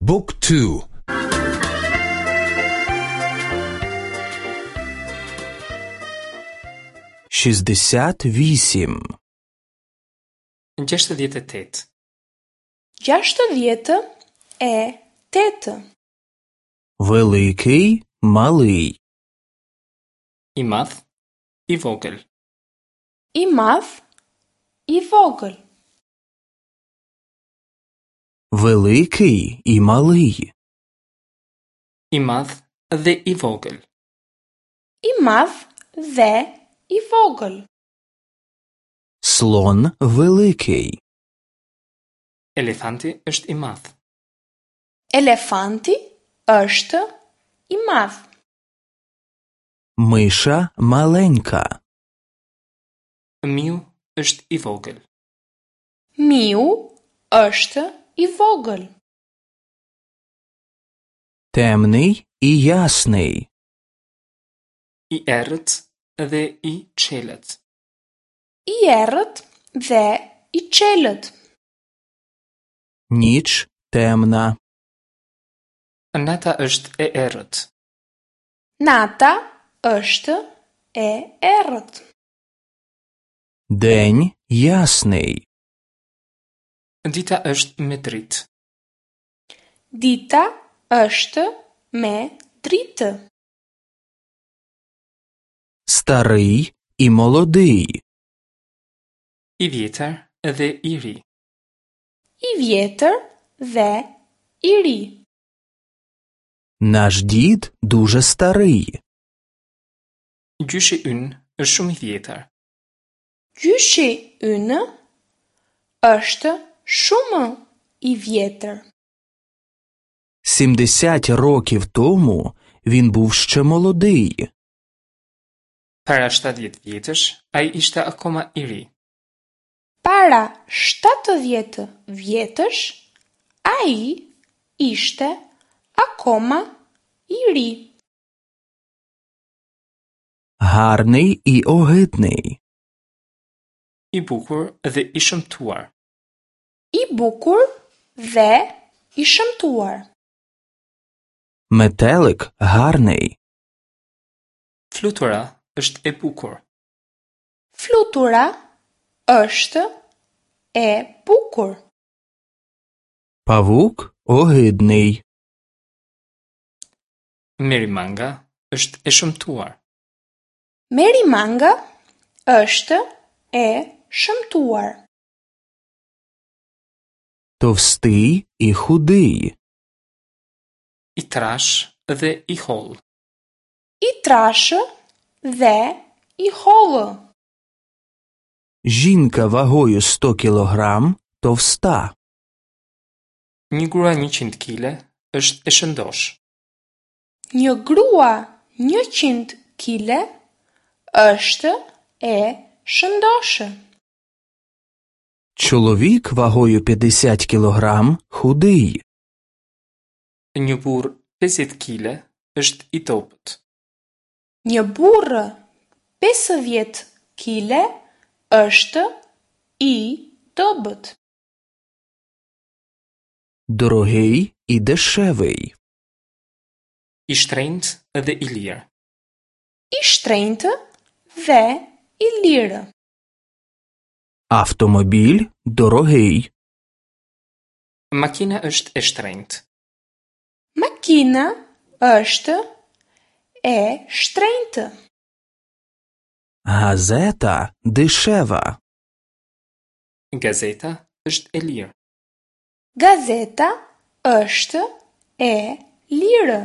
บุ๊กทู 68. 68. 68. Великий, малий. I madh, i vogël. I madh, i vogël. Великий і малий. I madh dhe i vogël. I madh dhe i vogël. Слон великий. Elefanti është i madh. Elefanti është i madh. Миша маленька. Miu është i vogël. Miu është i vogël. Темний і ясний. I errët dhe i çelët. I errët dhe i çelët. Ніч темна. Nata është e errët. Nata është e errët. День ясний. Dita është me dritë. Dita është me dritë. Старий і молодий. I vjetër dhe i ri. I vjetër dhe i ri. Наш дід дуже старий. Gjyshi ynë është shumë i vjetër. Gjyshi ynë është shumë i vjetër. 70 років тому він був ще молодий. Para 70 vjetësh, ai ishte akoma i ri. Para 70 vjetësh, ai ishte akoma i ri. Гарний і огидний. I bukur dhe i shëmtuar. I bukur dhe i shëmtuar. Метелик гарний. Flutura është e bukur. Flutura është e bukur. Павук огидний. Merimanga është e shëmtuar. Merimanga është e shëmtuar. Товстий і худий. I trash dhe i hollë. I trashë dhe i hollë. Жінка вагою 100 кілограм товста. Një grua 100 kile është e shëndosh. Një grua 100 kile është e shëndoshë. Чоловік вагою 50 кілограм худий. Një burr 50 kile është i dobët. Një burrë 50 kile është i dobët. Дорогий і дешевий. I shtrenjtë dhe i lirë. I shtrenjtë dhe i lirë. Автомобіль дорогий. Makina është e shtrenjtë. Makina është e shtrenjtë. Газета дешева. Gazeta është e lirë. Gazeta është e lirë.